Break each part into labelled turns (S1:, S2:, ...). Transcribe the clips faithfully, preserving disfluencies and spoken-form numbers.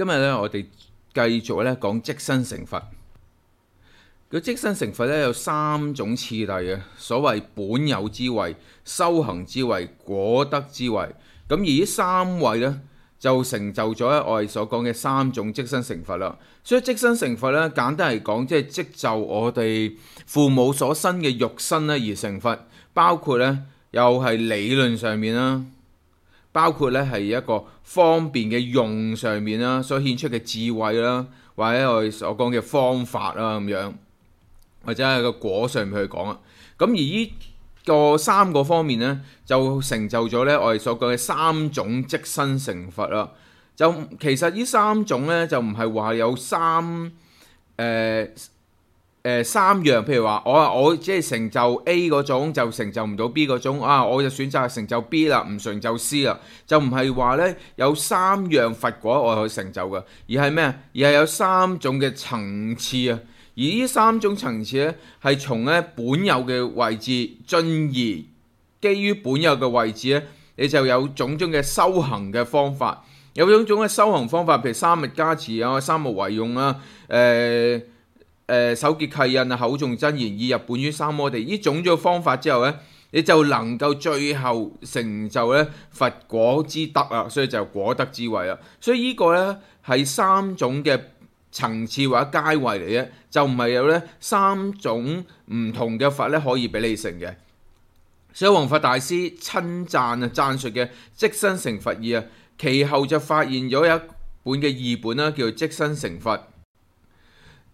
S1: 今日咧，我哋繼續咧講即身成佛。佢即身成佛咧有三種次第嘅，所謂本有之位、修行之位、果德之位。咁而呢三位咧就成就咗我哋所講嘅三種即身成佛啦。所以即身成佛咧，簡單嚟講，即係即就我哋父母所生嘅肉身咧而成佛，包括咧又係理論上面啦。包括咧係一個方便嘅用上面啦，所顯出嘅智慧啦，或者我哋所講嘅方法啦咁樣，或者係個果上面去講啊。咁而呢個三個方面咧，就成就咗咧我哋所講嘅三種即身成佛啦。就其實呢三種咧就唔係話有三誒。呃誒、呃、三樣，譬如話我我即係成就 A 嗰種，就成就唔到 B 嗰種啊，我就選擇成就 B 啦，唔成就 C 啦，就唔係話咧有三樣佛果我去成就嘅，而係咩啊？而係有三種嘅層次啊，而呢三種層次咧係從咧本有嘅位置進而基於本有嘅位置咧，你就有種種嘅修行嘅方法，有種種嘅修行方法，譬如三密加持啊、三無為用啊、誒、呃。誒手結契印啊，口誦真言，意入本於三摩地，呢種咗方法之後咧，你就能夠最後成就咧佛果之德啊，所以就果德之位啦。所以呢個咧係三種嘅層次或者階位嚟嘅，就唔係有咧三種唔同嘅佛咧可以俾你成嘅。所以弘法大師稱讚啊讚述嘅即身成佛義啊，其後就發現咗有一本嘅異本啦，叫做即身成佛。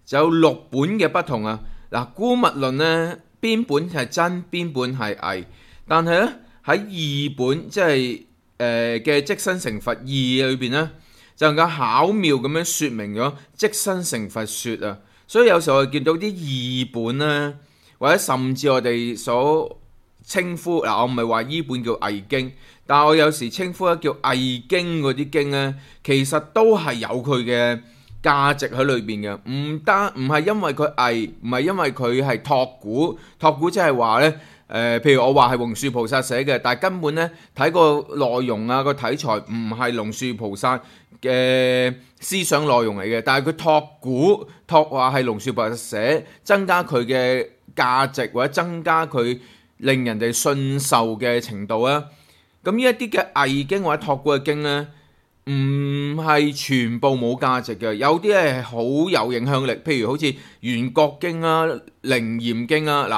S1: 就有六本嘅不同啊！嗱，姑勿論呢邊本係真，邊本係偽，但係咧喺異本即係誒嘅即身成佛義裏邊咧，就能夠巧妙咁樣説明咗即身成佛説啊！所以有時候我哋見到啲異本咧，或者甚至我哋所稱呼嗱，我唔係話依本叫偽經，但係我有時稱呼咧叫偽經嗰啲經咧，其實都係有佢嘅價值喺裏邊嘅，唔單唔係因為佢偽，唔係因為佢係託古，託古即係話咧，誒、呃，譬如我話係龍樹菩薩寫嘅，但係根本咧睇個內容啊個題材唔係龍樹菩薩嘅思想內容嚟嘅，但係佢託古託話係龍樹菩薩寫，增加佢嘅價值或者增加佢令人哋信受嘅程度啊，咁呢一啲嘅偽經或者託古嘅經咧，唔係全部冇價值嘅，有啲係好有影響力，譬如好似圓覺經啊、靈嚴經啊，嗱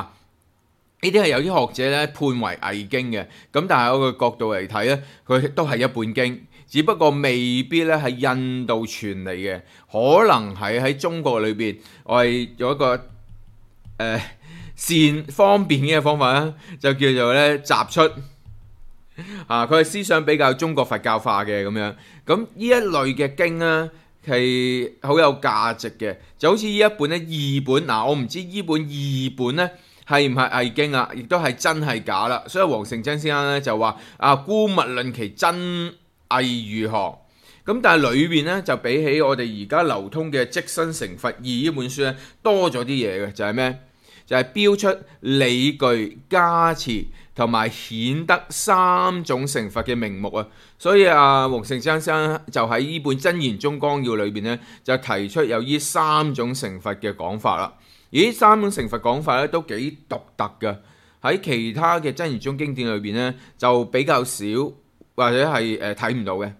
S1: 呢啲係有啲學者咧判為偽經嘅，咁但係我個角度嚟睇咧，佢都係一本經，只不過未必咧係印度傳嚟嘅，可能係喺中國裏邊，我係有一個誒、呃、善方便嘅方法啦，就叫做咧集出。啊！佢係思想比較中國佛教化嘅咁樣，咁呢一類嘅經咧係好有價值嘅，就好似呢一本咧異本嗱，我唔知呢本異本咧係唔係偽經啊，亦都係真係假啦。所以黃成真先生咧就話啊，姑勿論其真偽如何，咁但係裏邊咧就比起我哋而家流通嘅即身成佛義呢本書咧多咗啲嘢嘅，就係咩？就係標出理據加持同埋顯得三種成佛嘅名目啊，所以啊，黃成先生就喺呢本真言宗綱要裏邊咧，就提出有呢三種成佛嘅講法啦。而呢三種成佛講法咧都幾獨特嘅，喺其他嘅真言宗經典裏邊咧就比較少或者係誒睇唔到嘅。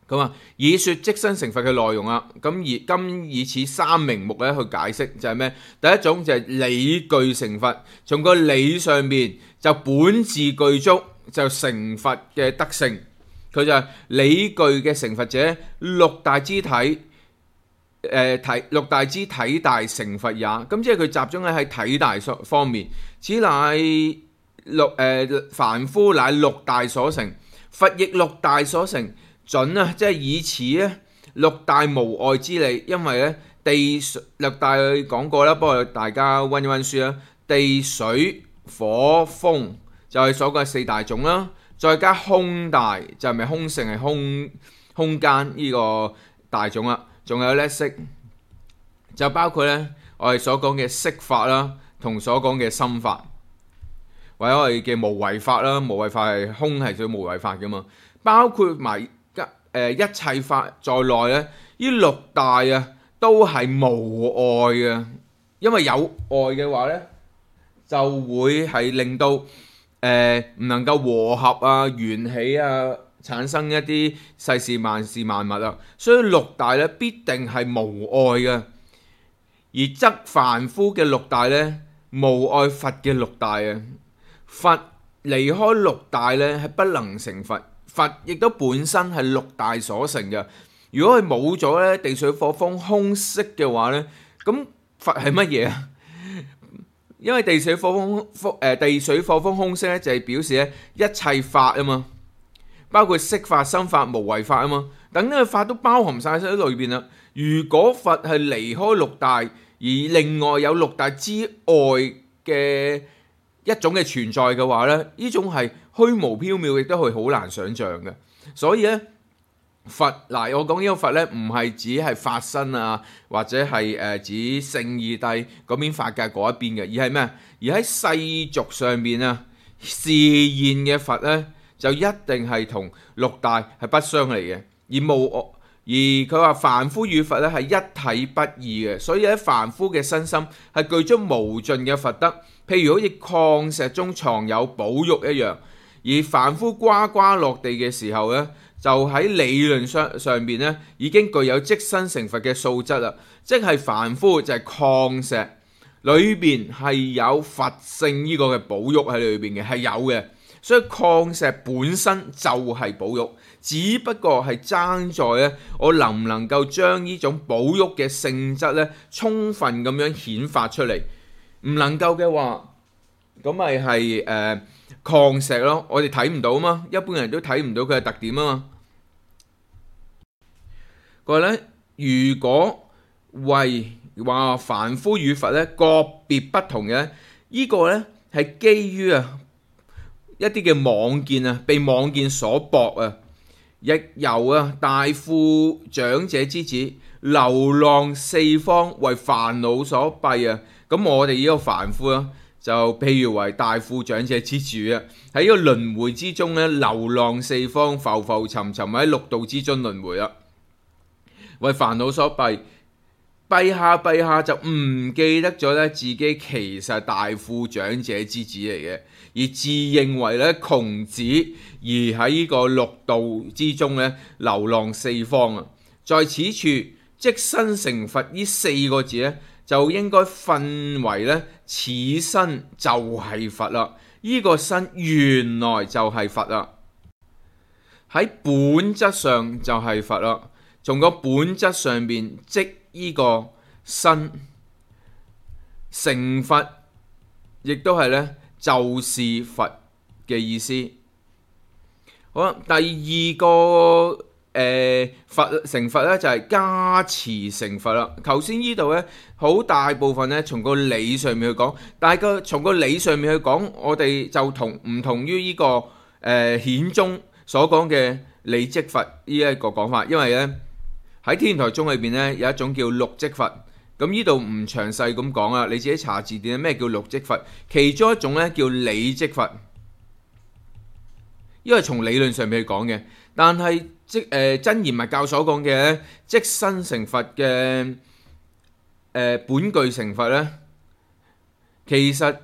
S1: 咁啊，以說即身成佛嘅內容啊，咁而今以此三名目咧去解釋就係咩？第一種就係理據成佛，從個理上面就本自具足就成佛嘅德性，佢就係理據嘅成佛者，六大肢體誒體、呃、六大肢體大成佛也。咁即係佢集中喺喺體大方面，此乃六誒、呃、凡夫乃六大所成，佛亦六大所成。準啊，即係以此咧六大無礙之理，因為咧地六大講過啦，不過大家溫一溫書啦，地水火風就係所講嘅四大種啦，再加空大就係咪空性係空空間呢個大種啦，仲有咧色就包括咧我哋所講嘅色法啦，同所講嘅心法，或者我哋嘅無為法啦，無為法係空係屬於無為法噶嘛，包括埋。誒一切法在內咧，呢六大啊都係無礙嘅，因為有礙嘅話咧，就會係令到誒唔、呃、能夠和合啊、緣起啊，產生一啲世事萬事萬物啊，所以六大咧必定係無礙嘅，而則凡夫嘅六大咧無礙佛嘅六大啊，佛離開六大咧係不能成佛。佛亦都本身係六大所成嘅。如果佢冇咗咧地水火風空色嘅話咧，咁佛係乜嘢啊？因為地水火風風誒地水火風空色咧就係表示咧一切法啊嘛，包括色法、心法、無為法啊嘛，等呢個法都包含晒喺裏邊啦。如果佛係離開六大，而另外有六大之外嘅一種嘅存在嘅話咧，呢種係虛無縹緲，亦都係好難想像嘅。所以咧，佛嗱，我講呢個佛咧，唔係指係法身啊，或者係誒、呃、指聖義帝嗰邊法界嗰一邊嘅，而係咩？而喺世俗上邊啊，示現嘅佛咧，就一定係同六大係不相離嘅，而無而佢話凡夫與佛咧係一體不二嘅，所以喺凡夫嘅身心係具足無盡嘅佛德，譬如好似礦石中藏有寶玉一樣。而凡夫呱呱落地嘅時候咧，就喺理論上上邊咧已經具有即身成佛嘅素質啦，即係凡夫就係礦石裏邊係有佛性呢個嘅寶玉喺裏邊嘅，係有嘅。所以礦石本身就係寶玉，只不過係爭在咧，我能唔能夠將呢種寶玉嘅性質咧，充分咁樣顯發出嚟。唔能夠嘅話，咁咪係誒礦石咯，我哋睇唔到啊嘛，一般人都睇唔到佢嘅特點啊嘛。佢話咧，如果為話凡夫與佛咧個別不同嘅，呢個咧係基於啊一啲嘅妄見啊，被妄見所駁啊，亦由啊大富長者之子流浪四方為煩惱所蔽啊。咁我哋呢個凡夫啊，就譬如為大富長者之主啊，喺呢個輪迴之中咧流浪四方，浮浮沉沉喺六道之中輪迴啦，為煩惱所蔽，蔽下蔽下就唔記得咗咧自己其實大富長者之子嚟嘅，而自認為咧窮子，而喺呢個六道之中咧流浪四方啊。在此處即身成佛呢四個字咧，就應該分為咧此身就係佛啦，呢、這個身原來就係佛啦，喺本質上就係佛啦。從個本質上邊，即呢個身成佛，亦都係咧就是佛嘅意思。好啦，第二個誒、呃、佛成佛咧就係、是、加持成佛啦。頭先呢度咧好大部分咧從個理上面去講，但係個從個理上面去講，我哋就同唔同於呢、這個誒、呃、顯宗所講嘅理即佛呢一個講法，因為咧。喺天台宗裏邊咧有一種叫六即佛，咁呢度唔詳細咁講啦，你自己查字典咩叫六即佛，其中一種咧叫理即佛，因為從理論上面去講嘅，但係即誒、呃、真言密教所講嘅即身成佛嘅誒、呃、本具成佛咧，其實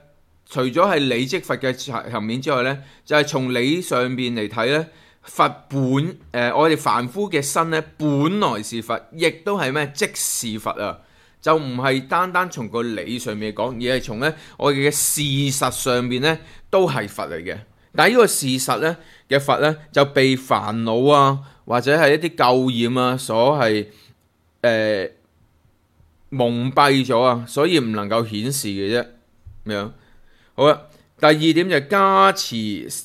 S1: 除咗係理即佛嘅層面之外咧，就係、是、從理上邊嚟睇咧。佛本誒、呃，我哋凡夫嘅身咧，本來是佛，亦都係咩？即是佛啊！就唔係單單從個理上面講，而係從咧我哋嘅事實上面咧，都係佛嚟嘅。但係呢個事實咧嘅佛咧，就被煩惱啊，或者係一啲垢染啊，所係誒、呃、蒙蔽咗啊，所以唔能夠顯示嘅啫。咁樣好啦。第二點就係加持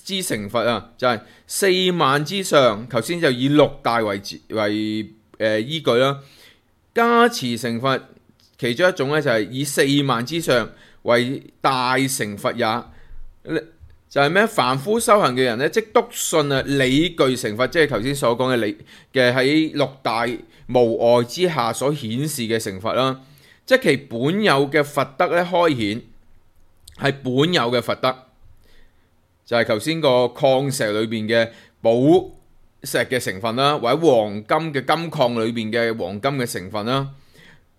S1: 之成佛啊，就係、是、四萬之上，頭先就以六大為為誒、呃、依據啦。加持成佛其中一種咧就係以四萬之上為大成佛也，就係、是、咩？凡夫修行嘅人咧，即篤信啊，理具成佛，即係頭先所講嘅理嘅喺六大無礙之下所顯示嘅成佛啦，即其本有嘅佛德咧開顯。係本有嘅佛德，就係頭先個礦石裏邊嘅寶石嘅成分啦，或者黃金嘅金礦裏邊嘅黃金嘅成分啦。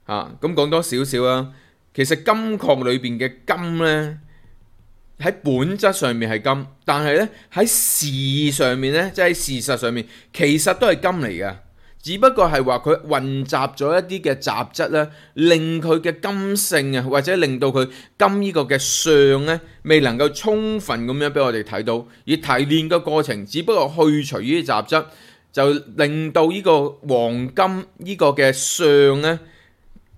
S1: 啊，咁講多少少啦。其實金礦裏邊嘅金呢，喺本質上面係金，但係呢，喺事上面呢，即係事實上面，其實都係金嚟嘅。只不過係話佢混雜咗一啲嘅雜質咧，令佢嘅金性啊，或者令到佢金呢個嘅相咧，未能夠充分咁樣俾我哋睇到。而提煉嘅過程，只不過去除呢啲雜質，就令到呢個黃金呢個嘅相咧，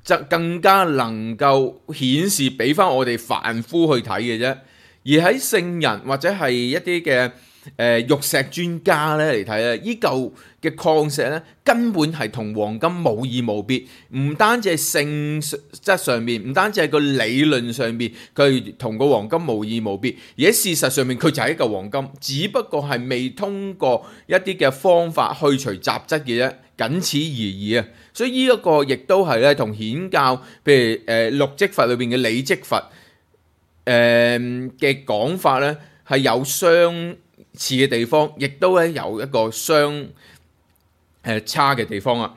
S1: 就更加能夠顯示俾翻我哋凡夫去睇嘅啫。而喺聖人或者係一啲嘅誒玉石專家咧嚟睇咧，依嚿嘅礦石咧根本係同黃金無異無別，唔單止係性質上面，唔單止係個理論上面，佢同個黃金無異無別，而喺事實上面佢就係一嚿黃金，只不過係未通過一啲嘅方法去除雜質嘅啫，僅此而已啊！所以呢一個亦都係咧同顯教，譬如誒六積佛裏邊嘅理積佛誒嘅講法咧係有相似嘅地方，亦都咧有一個相誒差嘅地方啊！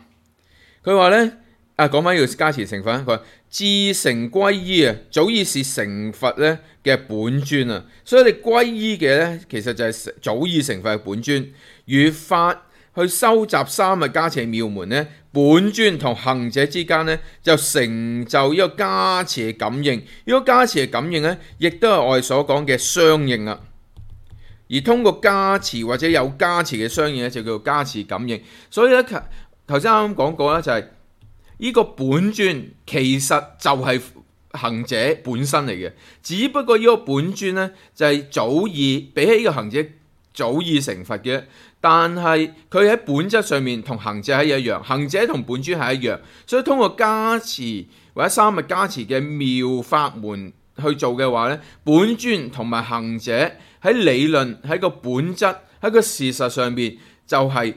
S1: 佢話咧啊，講翻呢個加持成佛，佢話至誠歸依啊，早已是成佛咧嘅本尊啊！所以你歸依嘅咧，其實就係早已成佛嘅本尊。如法去收集三密加持妙門咧，本尊同行者之間咧就成就呢個加持嘅感應。呢個加持嘅感應咧，亦都係我哋所講嘅相應啊！而通過加持或者有加持嘅相應咧，就叫做加持感應。所以咧，頭先啱啱講過啦，就係呢個本尊其實就係行者本身嚟嘅，只不過呢個本尊咧就係早已比起呢個行者早已成佛嘅，但係佢喺本質上面同行者係一樣，行者同本尊係一樣，所以通過加持或者三密加持嘅妙法門去做嘅話咧，本尊同埋行者喺理論喺個本質喺個事實上邊就係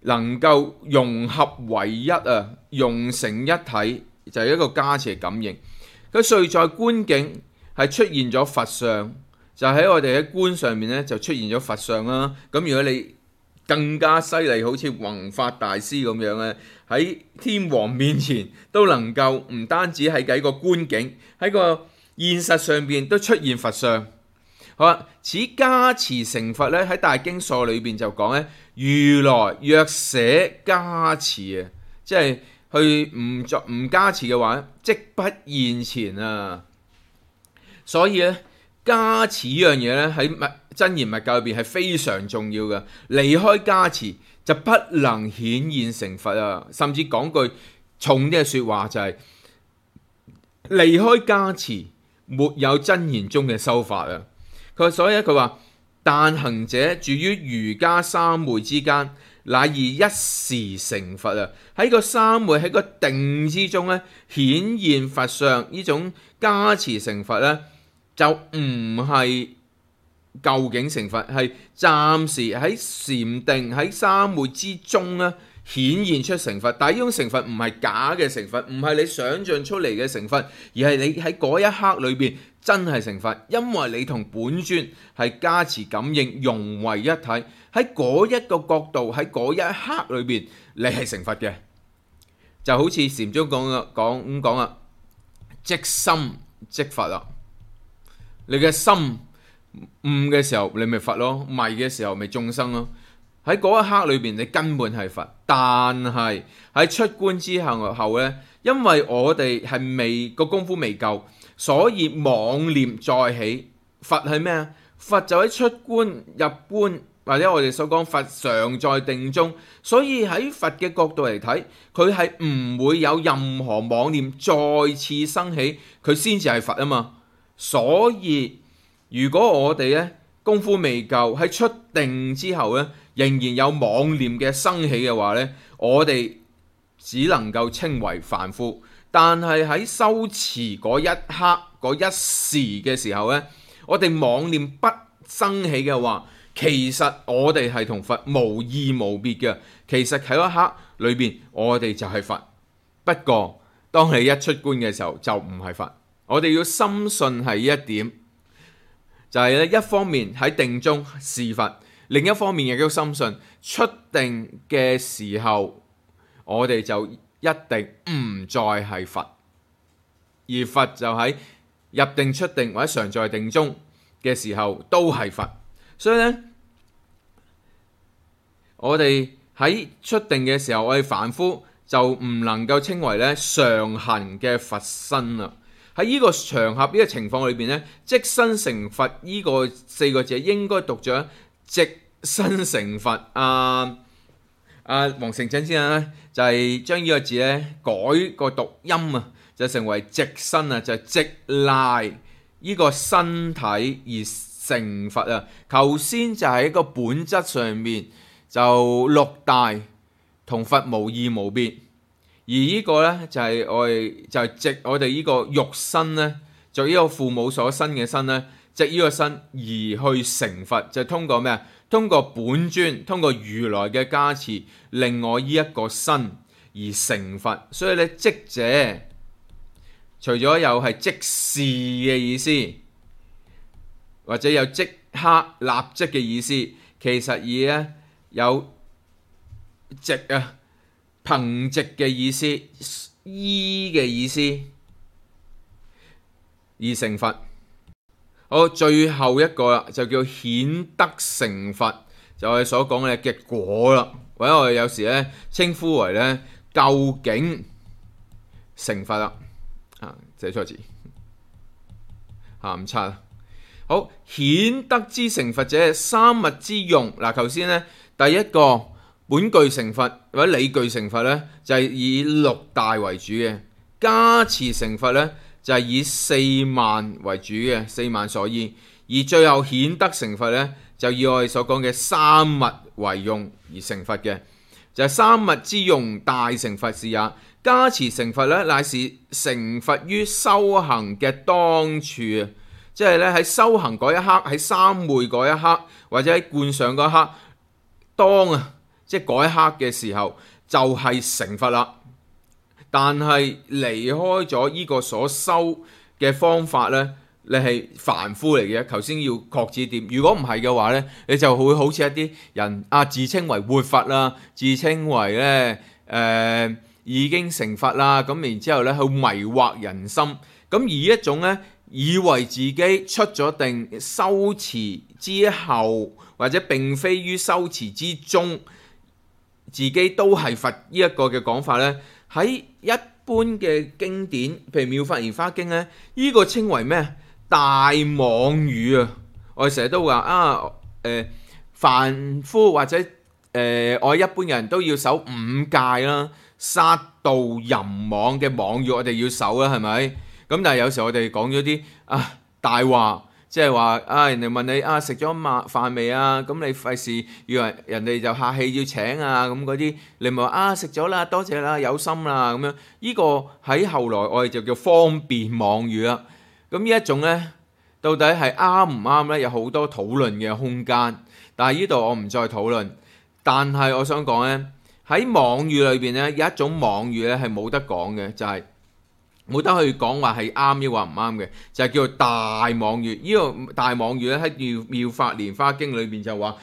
S1: 能夠融合為一啊，融成一體，就係、是、一個加持嘅感應。佢遂在觀境係出現咗佛相，就喺我哋喺觀上面咧就出現咗佛相啦。咁如果你更加犀利，好似弘法大師咁樣咧，喺天王面前都能夠唔單止係喺個觀境，喺個現實上邊都出現佛相。好啦，此加持成佛咧喺大經疏裏邊就講咧，如來若捨加持啊，即係去唔作唔加持嘅話，即不現前啊。所以咧，加持呢樣嘢咧喺密真言密教裏邊係非常重要嘅。離開加持就不能顯現成佛啊。甚至講句重啲嘅説話就係、是、離開加持，沒有真言中嘅修法啊。佢所以佢話，但行者住於瑜伽三昧之間，乃以一時成佛啊！喺個三昧喺個定之中咧，顯現佛相呢種加持成佛咧，就唔係究竟成佛，係暫時喺禪定喺三昧之中咧顯現出成佛。但係呢種成佛唔係假嘅成佛，唔係你想象出嚟嘅成佛，而係你喺嗰一刻裏邊真係成佛，因為你同本尊係加持感應融為一體，喺嗰一個角度喺嗰一刻裏邊，你係成佛嘅，就好似禪宗講嘅講咁講啊，即心即佛啦。你嘅心悟嘅時候，你咪佛咯；迷嘅時候，咪眾生咯。喺嗰一刻裏邊，你根本係佛，但係喺出觀之後後咧，因為我哋係未個功夫未夠。所以妄念再起，佛係咩啊？佛就喺出觀入觀，或者我哋所講佛常在定中。所以喺佛嘅角度嚟睇，佢係唔會有任何妄念再次生起，佢先至係佛啊嘛。所以如果我哋咧功夫未夠，喺出定之後咧，仍然有妄念嘅生起嘅話咧，我哋只能夠稱為凡夫。但係喺修持嗰一刻嗰一時嘅時候呢，我哋妄念不生起嘅話，其實我哋係同佛無異無別嘅。其實喺一刻裏邊，我哋就係佛。不過當你一出觀嘅時候，就唔係佛。我哋要深信係一點，就係咧一方面喺定中是佛，另一方面亦都深信出定嘅時候，我哋就一定唔再係佛，而佛就喺入定出定或者常在定中嘅時候都係佛。所以咧，我哋喺出定嘅時候，我哋凡夫就唔能夠稱為咧常行嘅佛身啦。喺呢個場合呢、呢個情況裏邊咧，即身成佛呢個四個字應該讀咗即身成佛。啊啊，黃成振先生咧就係、是、將呢個字咧改個讀音啊，就成為即身啊，就係即賴呢個身體而成佛啊。頭先就係一個本質上面就六大同佛無異無別。而呢個咧就係我哋就係藉我哋呢個肉身咧，就呢個父母所生嘅身咧，藉呢個身而去成佛，就係通過咩啊？通過本尊，通過如來嘅加持，令我呢一個身而成佛。所以咧，即者除咗有係即時嘅意思，或者有即刻立即嘅意思，其實而咧有即啊。憑藉嘅意思，依嘅意思而成佛。好，最後一個啦，就叫顯德成佛，就係我哋所講嘅結果啦，或者我哋有時咧稱呼為咧究竟成佛啦。啊，寫錯字，下唔差。好，顯德之成佛者，三物之用。嗱，頭先咧第一個。本具成佛或者理具成佛咧，就係以六大為主嘅；加持成佛咧，就係以四萬為主嘅，四萬所依。而最後顯德成佛咧，就以我哋所講嘅三物為用而成佛嘅，就係、是、三物之用大成佛是也。加持成佛咧，乃是成佛於修行嘅當處啊！即係咧喺修行嗰一刻，喺三昧嗰一刻，或者喺觀想嗰一刻，當啊！即係嗰一刻嘅時候就係、是、成佛啦，但係離開咗呢個所修嘅方法呢，你係凡夫嚟嘅。頭先要確指點，如果唔係嘅話呢，你就會好似一啲人啊，自稱為活佛啦，自稱為呢誒、呃、已經成佛啦，咁然之後呢去迷惑人心，咁而一種呢，以為自己出咗定修持之後，或者並非於修持之中。自己都係佛呢一個嘅講法呢，喺一般嘅經典，譬如《妙法蓮華經》呢，呢、這個稱為咩？大妄語啊！我哋成日都話啊，誒、呃，凡夫或者誒、呃，我一般人都要守五戒啦，殺盜淫妄嘅妄語我哋要守啦，係咪？咁但係有時候我哋講咗啲啊大話。即係話啊，人哋問你啊，食咗晚飯未啊？咁你費事以為人哋就客氣要請啊，咁嗰啲你咪話啊，食咗啦，多謝啦，有心啦咁樣。呢、這個喺後來我哋就叫方便妄語啦。咁呢一種呢，到底係啱唔啱呢？有好多討論嘅空間。但係呢度我唔再討論。但係我想講呢，喺妄語裏邊呢，有一種妄語呢係冇得講嘅，就係、是。冇得去講話係啱抑或唔啱嘅，就係、是、叫做大妄語。呢、這個大妄語咧喺妙妙法蓮華經裏邊就話：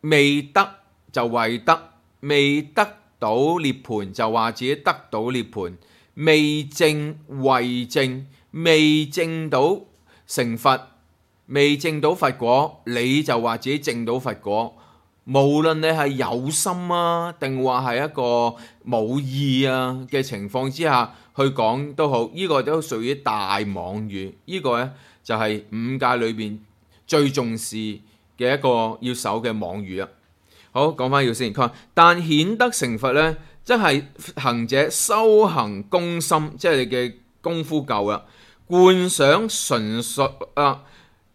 S1: 未得就為得，未得到涅槃就話自己得到涅槃，未證為證，未證到成佛，未證到佛果，你就話自己證到佛果。無論你係有心啊，定話係一個冇意啊嘅情況之下去講都好，呢、這個都屬於大妄語。呢、這個呢，就係、是、五戒裏邊最重視嘅一個要守嘅妄語啊。好，講翻要先，佢話但顯德成佛呢，即係行者修行功深，即係你嘅功夫夠啦，觀想純熟啊。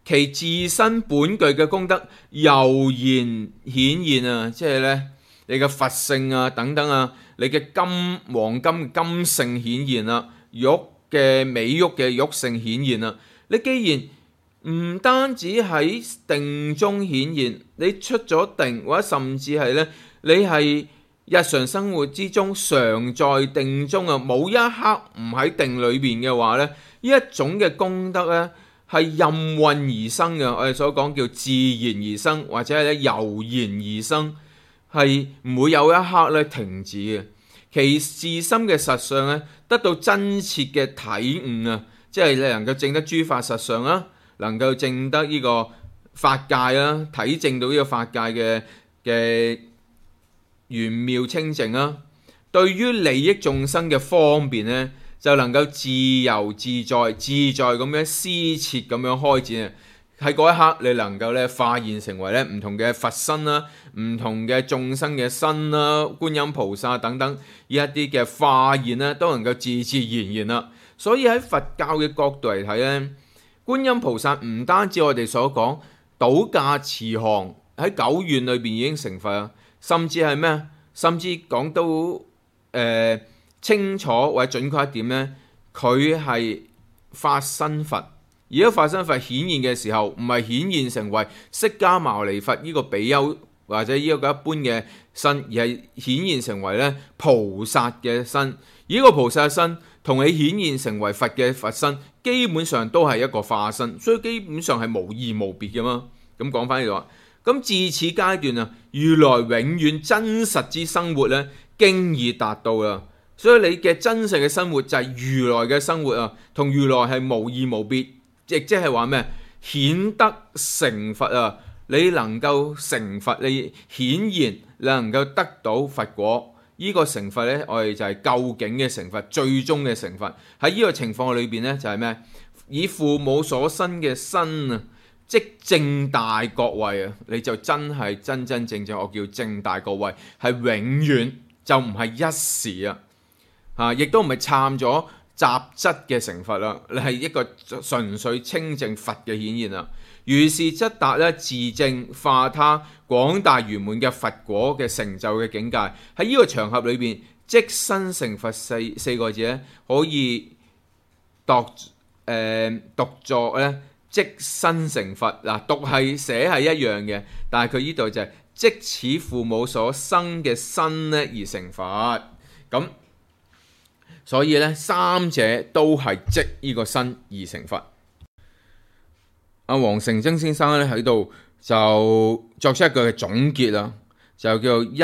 S1: 其自身本具嘅功德悠然顯現啊，即係咧你嘅佛性啊等等啊，你嘅金黃金金性顯現啦，玉嘅美玉嘅玉性顯現啦。你既然唔單止喺定中顯現，你出咗定或者甚至係咧，你係日常生活之中常在定中啊，冇一刻唔喺定裏邊嘅話咧，呢一種嘅功德咧。係任運而生嘅，我哋所講叫自然而生，或者係咧油然而生，係唔會有一刻咧停止嘅。其自心嘅實相咧，得到真切嘅體悟啊，即係你能夠證得諸法實相啦，能夠證得呢個法界啦，體證到呢個法界嘅嘅玄妙清淨啦。對於利益眾生嘅方便咧，就能夠自由自在、自在咁樣施設咁樣開展啊！喺嗰一刻，你能夠咧化現成為咧唔同嘅佛身啦、唔同嘅眾生嘅身啦、觀音菩薩等等呢一啲嘅化現咧，都能夠自自然然啦。所以喺佛教嘅角度嚟睇咧，觀音菩薩唔單止我哋所講倒駕慈航喺九願裏邊已經成佛啊，甚至係咩？甚至講到誒、呃、清楚或者準確一點咧，佢係法身佛。而家法身佛顯現嘅時候，唔係顯現成為釋迦牟尼佛呢個比丘或者呢一個一般嘅身，而係顯現成為咧菩薩嘅身。而呢個菩薩嘅身同你顯現成為佛嘅佛身，基本上都係一個化身，所以基本上係無異無別嘅嘛。咁講翻呢度，咁自此階段啊，如來永遠真實之生活咧，經已達到啦。所以你嘅真實嘅生活就係如來嘅生活啊，同如來係無異無別。亦即係話咩？顯得成佛啊！你能夠成佛，你顯然你能夠得到佛果。呢、這個成佛呢，我哋就係究竟嘅成佛，最終嘅成佛。喺呢個情況裏邊呢，就係咩？以父母所生嘅身啊，即正大國位啊！你就真係真真正正，我叫正大國位，係永遠就唔係一時啊！嚇，亦都唔係參咗雜質嘅成佛啦，你係一個純粹清淨佛嘅顯現啦。如是則達咧自證化他廣大圓滿嘅佛果嘅成就嘅境界。喺呢個場合裏邊，即身成佛四四個字咧，可以讀誒、呃、讀作咧即身成佛嗱，讀係寫係一樣嘅，但係佢呢度就係即此父母所生嘅身咧而成佛咁。所以咧，三者都係即呢個身而成佛。阿黃成真先生咧喺度就作出一個嘅總結啦，就叫做一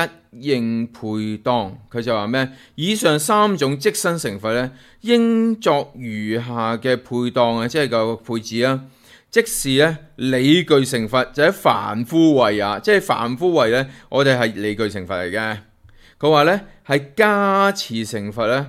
S1: 應配當。佢就話咩？以上三種即身成佛咧，應作如下嘅配當啊，即係個配置啦。即是咧理具成佛，就喺凡夫位啊，即係凡夫位咧，我哋係理具成佛嚟嘅。佢話咧係加持成佛咧，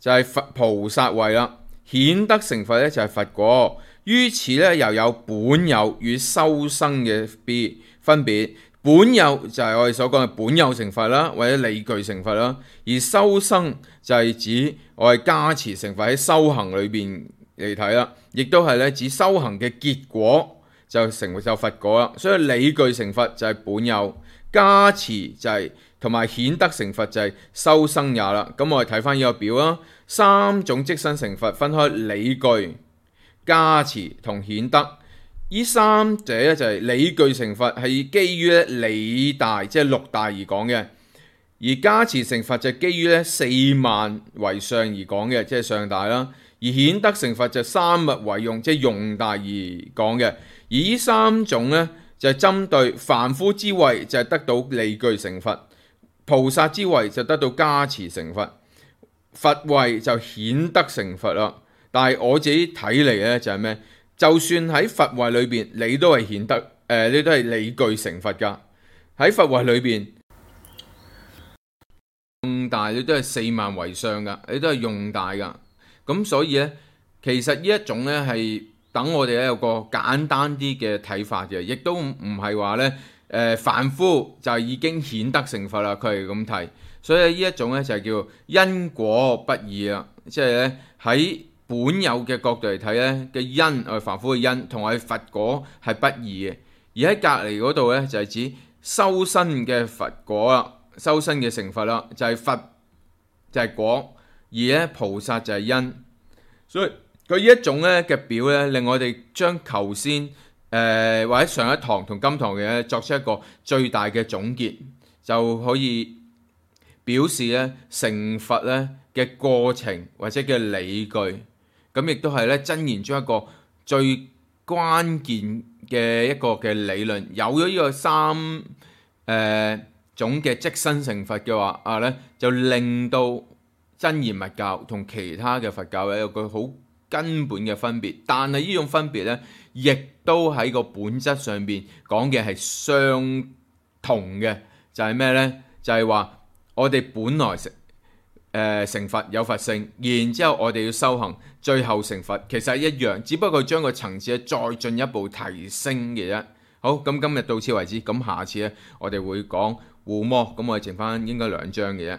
S1: 就係佛菩薩位啦，顯得成佛咧就係佛果。於此咧又有本有與修生嘅別分別。本有就係我哋所講嘅本有成佛啦，或者理具成佛啦。而修生就係指我哋加持成佛喺修行裏邊嚟睇啦，亦都係咧指修行嘅結果就成為就佛果啦。所以理具成佛就係本有，加持就係同埋顯得成佛就係修生也啦。咁我哋睇翻呢個表啦。三種即身成佛分開理具、加持同顯得。呢三者咧就係理具成佛係基於咧理大，即係六大而講嘅；而加持成佛就係基於咧四萬為上而講嘅，即係上大啦；而顯得成佛就三密為用，即係用大而講嘅。而呢三種咧就係針對凡夫之位就係得到理具成佛，菩薩之位就得到加持成佛，佛位就顯得成佛啦。但係我自己睇嚟咧就係咩？就算喺佛位裏邊，你都係顯得誒、呃，你都係理具成佛噶。喺佛位裏邊，用大你都係四萬為上噶，你都係用大噶。咁所以咧，其實呢一種咧係等我哋咧有個簡單啲嘅睇法嘅，亦都唔係話咧誒凡夫就已經顯得成佛啦。佢係咁睇。所以呢一種咧就係叫因果不二啦，即係咧喺本有嘅角度嚟睇咧嘅因，我哋凡夫嘅因同我哋佛果係不二嘅。而喺隔離嗰度咧就係指修身嘅佛果啦，修身嘅成佛啦，就係佛就係果，而咧菩薩就係因。所以佢呢一種咧嘅表咧，令我哋將頭先誒或者上一堂同今堂嘅咧作出一個最大嘅總結，就可以表示咧成佛咧嘅過程或者嘅理據。咁亦都係咧真言中一個最關鍵嘅一個嘅理論。有咗呢個三誒、呃、種嘅即身成佛嘅話啊咧，就令到真言密教同其他嘅佛教有個好根本嘅分別。但係呢種分別咧，亦都喺個本質上邊講嘅係相同嘅，就係咩咧？就係、是、話我哋本來成誒、呃、成佛有佛性，然之後我哋要修行，最後成佛，其實係一樣，只不過將個層次再進一步提升嘅啫。好，咁今日到此為止，咁下次咧我哋會講護摩，咁我哋剩翻應該兩章嘅啫。